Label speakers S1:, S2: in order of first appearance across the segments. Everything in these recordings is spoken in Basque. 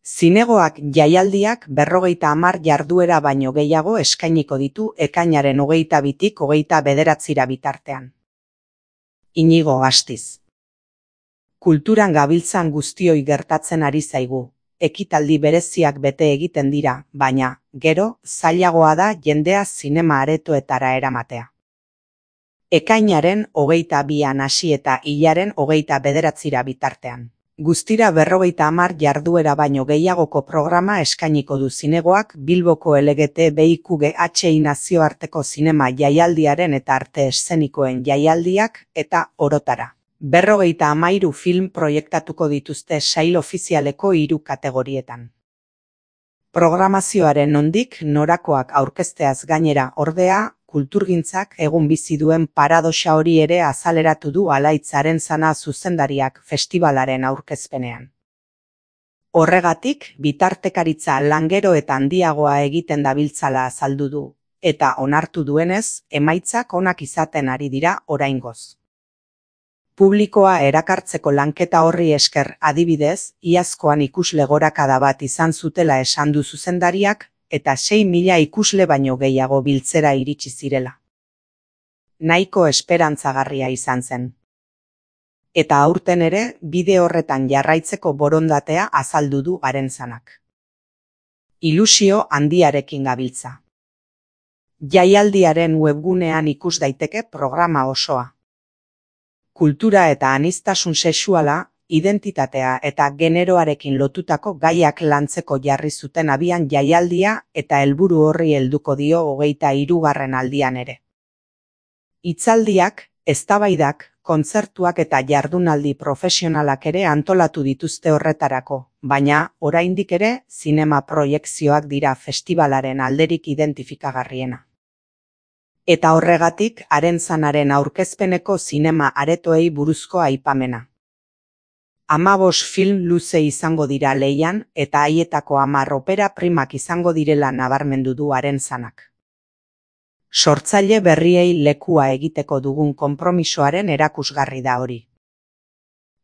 S1: Zinegoak jaialdiak 50 jarduera baino gehiago eskainiko ditu ekainaren 22tik 29 bitartean. Inigo Astiz. Kulturan gabiltzan guztioi gertatzen ari zaigu. Ekitaldi bereziak bete egiten dira, baina, gero, zailagoa da jendea zinema aretoetara eramatea. Ekainaren 22an hasi eta hilaren 29ra bitartean. Guztira 50 jarduera baino gehiagoko programa eskainiko du zinegoak Bilboko LGTBIQGHI nazioarteko zinema jaialdiaren eta arte eszenikoen jaialdiak eta orotara. 53 film proiektatuko dituzte sail ofizialeko 3 kategorietan. Programazioaren nondik norakoak aurkezteaz gainera ordea, kulturgintzak egun bizi duen paradoxa hori ere azaleratu du Alaitz Arenzana zuzendariak festibalaren aurkezpenean. Horregatik, bitartekaritza lan gero eta handiagoa egiten dabiltzala azaldu du, eta onartu duenez, emaitzak onak izaten ari dira oraingoz. Publikoa erakartzeko lanketa horri esker adibidez, iazkoan ikusle gorakada bat izan zutela esan du zuzendariak, eta 6.000 ikusle baino gehiago biltzera iritsi zirela. Nahiko esperantzagarria izan zen. Eta aurten ere, bide horretan jarraitzeko borondatea azaldu du Arenzanak. Ilusio handiarekin gabiltza. Jaialdiaren webgunean ikus daiteke programa osoa. Kultura eta aniztasun sexuala, identitatea eta generoarekin lotutako gaiak lantzeko jarri zuten abian jaialdia eta helburu horri helduko dio 23. aldian ere. Hitzaldiak, eztabaidak, kontzertuak eta jardunaldi profesionalak ere antolatu dituzte horretarako, baina, oraindik ere, zinema proiekzioak dira festibalaren alderik identifikagarriena. Eta horregatik, Arenzanaren aurkezpeneko zinema aretoei buruzko aipamena. 15 film luze izango dira lehian eta haietako 10 opera primak izango direla nabarmendu du Arenzanak. Sortzaile berriei lekua egiteko dugun konpromisoaren erakusgarri da hori.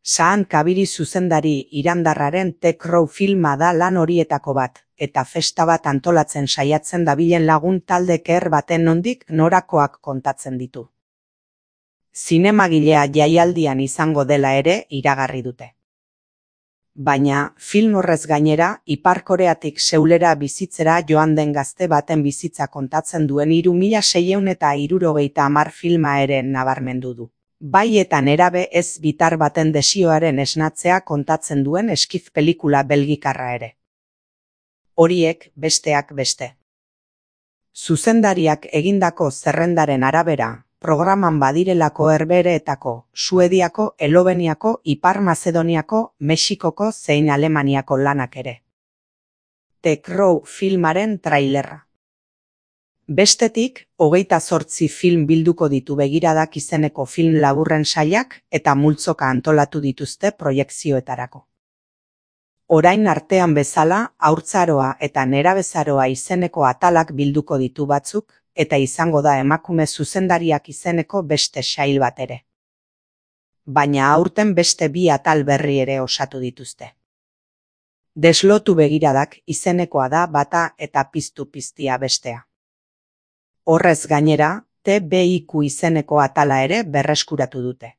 S1: Saan Kabiri zuzendari irandarraren The Crow filma da lan horietako bat, eta festa bat antolatzen saiatzen dabilen lagun talde ker baten nondik norakoak kontatzen ditu. Zinemagilea jaialdian izango dela ere iragarri dute. Baina, film horrez gainera, Ipar Koreatik Seulera bizitzera joan den gazte baten bizitza kontatzen duen 3670 filma ere nabarmendu du. Bai eta nerabe ez bitar baten desioaren esnatzea kontatzen duen eskif pelikula belgikarra ere. Horiek besteak beste. Zuzendariak egindako zerrendaren arabera, programan badirelako Herbehereetako, Suediako, Eloveniako, Ipar Mazedoniako, Mexikoko zein Alemaniako lanak ere. The Crow filmaren trailerra. Bestetik, 28 film bilduko ditu Begiradak izeneko film laburren sailak eta multzoka antolatu dituzte proiekzioetarako. Orain artean bezala, Haurtzaroa eta Nerabezaroa izeneko atalak bilduko ditu batzuk, eta izango da emakume zuzendariak izeneko beste sail bat ere. Baina aurten beste 2 atal berri ere osatu dituzte. Deslotu Begiradak izenekoa da bata eta Piztu piztia bestea. Horrez gainera, TBIQ izeneko atala ere berreskuratu dute.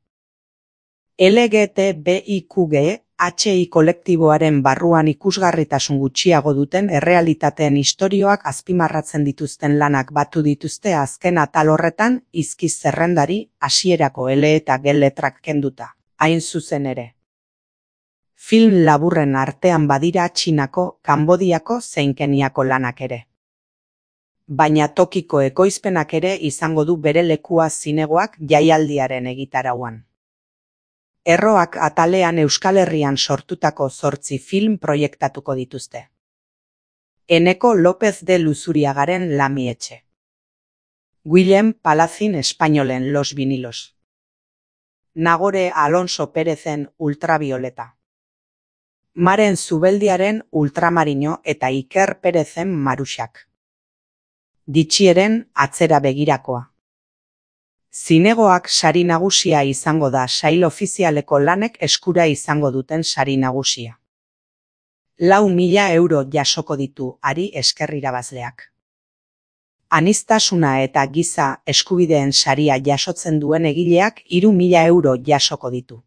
S1: LGTBIQGHI kolektiboaren barruan ikusgarritasun gutxiago duten errealitateen istorioak azpimarratzen dituzten lanak batu dituzte azken atal horretan izkiz zerrendari hasierako L eta G letrak kenduta, hain zuzen ere. Film laburren artean badira Txinako, Kanbodiako zein Keniako lanak ere. Baina tokiko ekoizpenak ere izango du bere lekua zinegoak jaialdiaren egitarauan. Erroak atalean Euskal Herrian sortutako 8 film proiektatuko dituzte. Eneko López de Luzuriagaren Lamietxe. Guillem Palacín espainolen Los Vinilos. Nagore Alonso Pérezen Ultravioleta. Maren Zubeldiaren Ultramarino eta Iker Pérezen Maruxak. Ditxieren Atzera begirakoa. Zinegoak sari nagusia izango da sail ofizialeko lanek eskura izango duten sari nagusia. 4.000 euro jasoko ditu hari esker irabazleak. Aniztasuna eta giza eskubideen saria jasotzen duen egileak 3.000 euro jasoko ditu.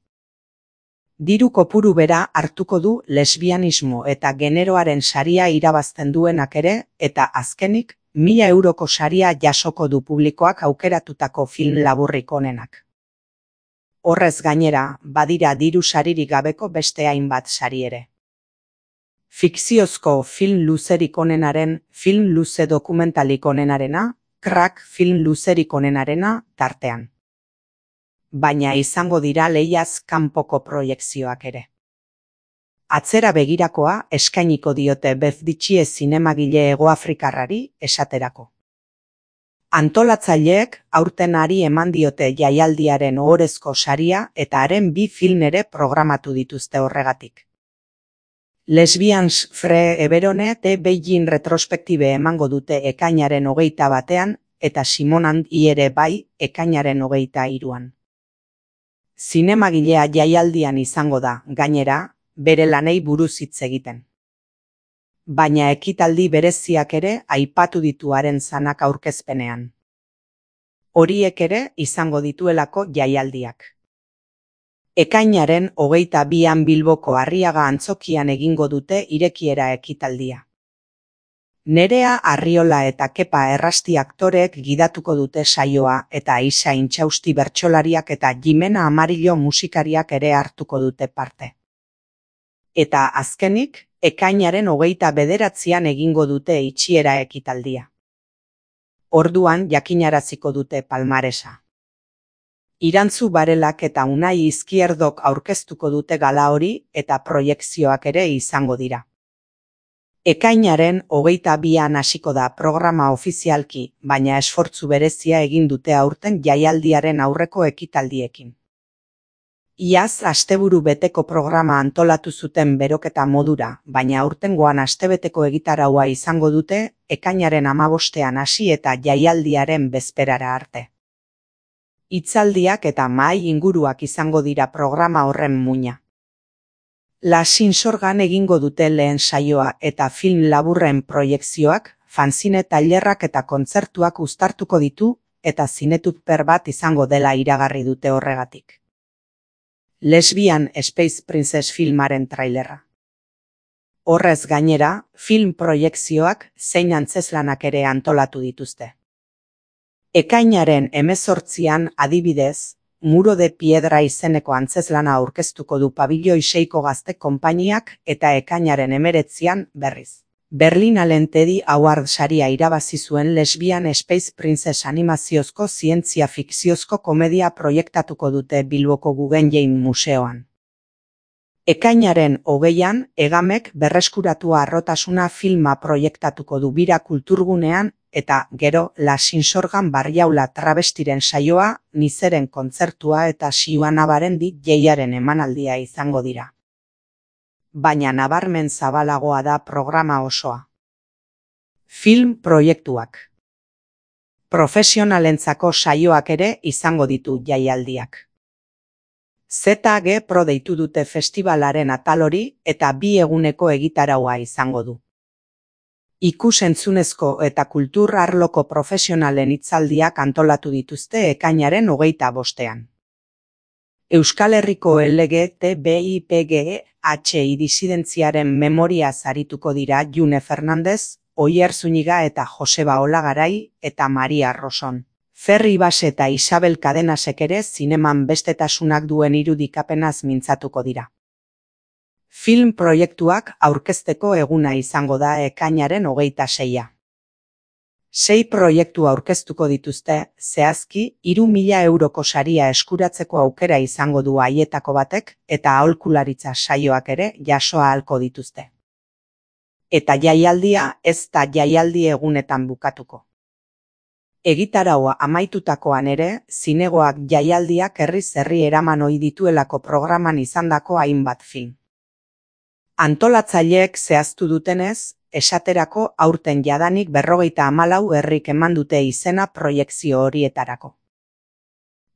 S1: Diru kopuru bera hartuko du lesbianismo eta generoaren saria irabazten duenak ere, eta azkenik, 1.000 euroko saria jasoko du publikoak aukeratutako film laburrik onenak. Horrez gainera, badira diru saririk gabeko beste hainbat sari ere. Fikziozko film luzerik onenaren, film luze dokumentalik onenarena, crack film luzerik onenarena tartean. Baina izango dira lehiaz kanpoko proiekzioak ere. Atzera begirakoa eskainiko diote Befditxie zinemagile hegoafrikarrari esaterako. Antolatzaileek aurten hari eman diote jaialdiaren ohorezko saria eta haren 2 film ere programatu dituzte horregatik. Lesbians Free Eberone te Beijing retrospektibe emango dute ekainaren 21 eta Simonand ere bai ekainaren 23an. Zinemagilea jaialdian izango da, gainera, bere lanei buruz hitz egiten. Baina ekitaldi bereziak ere aipatu ditu haren zanak aurkezpenean. Horiek ere izango dituelako jaialdiak. Ekainaren 22an Bilboko Arriaga antzokian egingo dute irekiera ekitaldia. Nerea Arriola eta Kepa Errasti aktoreek gidatuko dute saioa eta Aisa Intxausti bertsolariak eta Jimena Amarillo musikariak ere hartuko dute parte. Eta azkenik, ekainaren 29an egingo dute itxiera ekitaldia. Orduan jakinaraziko dute palmaresa. Irantzu Barelak eta Unai Izquierdok aurkeztuko dute gala hori eta proiekzioak ere izango dira. Ekainaren 22an hasiko da programa ofizialki, baina esfortzu berezia egin dute aurten jaialdiaren aurreko ekitaldiekin. Iaz asteburu beteko programa antolatu zuten beroketa modura, baina aurtengoan astebeteko egitaraua izango dute ekainaren 15an hasi eta jaialdiaren bezperara arte. Hitzaldiak eta mahai inguruak izango dira programa horren muina. La Sinsorgan egingo dute lehen saioa eta film laburren proiekzioak, fanzine tailerrak eta kontzertuak uztartuko ditu eta zinetupper bat izango dela iragarri dute horregatik. Lesbian Space Princess filmaren trailerra. Horrez gainera, film proiekzioak zein antzeslanak ere antolatu dituzte. Ekainaren 18an adibidez, Muro de Piedra izeneko antzeslana aurkeztuko du Pabilioi 6ko gazte konpainiak eta ekainaren 19an berriz. Berlinalen Teddy Award saria irabazi zuen Lesbian Space Princess animaziozko zientzia fikziozko komedia proiektatuko dute Bilboko Guggenheim Museoan. Ekainaren 20an Egamek berreskuratu harrotasuna filma proiektatuko du Bira kulturgunean eta gero La Sinsorgan Barriaula travestiren saioa, Nizeren kontzertua eta Xiuana Barendi jeiaren emanaldia izango dira. Baina nabarmen zabalagoa da programa osoa. Film proiektuak. Profesionalentzako saioak ere izango ditu jaialdiak. ZG Pro deitu dute festivalaren atal hori eta 2 eguneko egitaraua izango du. Ikus-entzunezko eta kultur arloko profesionalen hitzaldiak antolatu dituzte ekainaren 25an. Euskal Herriko LGTBIPGHI disidentziaren memoria arituko dira June Fernandez, Oier Zuniga eta Joseba Olagarai eta Maria Roson. Ferri Bas eta Isabel Cadenasek ere zineman bestetasunak duen irudikapenaz mintzatuko dira. Film proiektuak aurkezteko eguna izango da ekainaren 26a. 6 proiektu aurkeztuko dituzte, zehazki 3.000 euroko saria eskuratzeko aukera izango du haietako batek eta aholkularitza saioak ere jaso ahalko dituzte. Eta jaialdia ez da jaialdi egunetan bukatuko. Egitaraua amaitutakoan ere, zinegoak jaialdiak herriz herri eraman ohi dituelako programan izandako hainbat film. Antolatzaileek zehaztu dutenez, esaterako aurten jadanik 54 herrik eman dute izena proiekzio horietarako.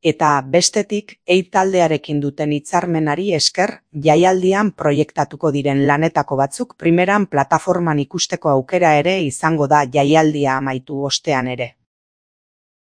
S1: Eta bestetik, taldearekin duten hitzarmenari esker, jaialdian proiektatuko diren lanetako batzuk primeran plataforman ikusteko aukera ere izango da jaialdia amaitu ostean ere.